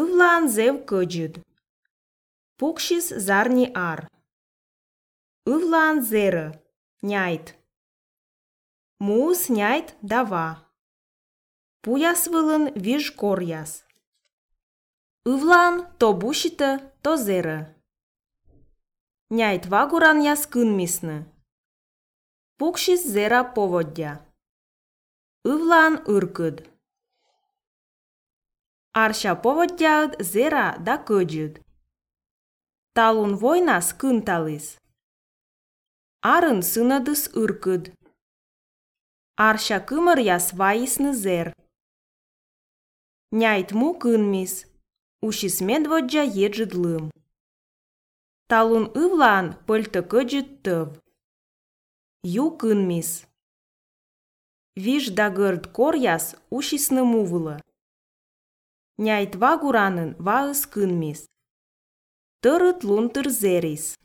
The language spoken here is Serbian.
Ывлаан зев кăджыд. Пукшис зарни ар. Ывлаан зерă, няйт. Муыс няйт дава. Пуяс вылын виж коряс. Ывлаан то бушиtă, то зерă. Няйт вагуран яс кынмисны. Пукшис зера поводдя. Ывлаан ыркăд. Арша поводдяăд зера да кăджыд. Талун войнас кынталыс. Арын сынăдыс ыркăд. Арша кымăр яс вайысны зер. Няйт му кынмис. Ушис медводдя еджыд лым. Талун ывлаан пăльтă кăджыд тăв. Ю кынмис. Виж да гărд коряс ушисны мувылă. Няйт вагуранын ваыс кынмис. Тăрăт лунтăр зерис.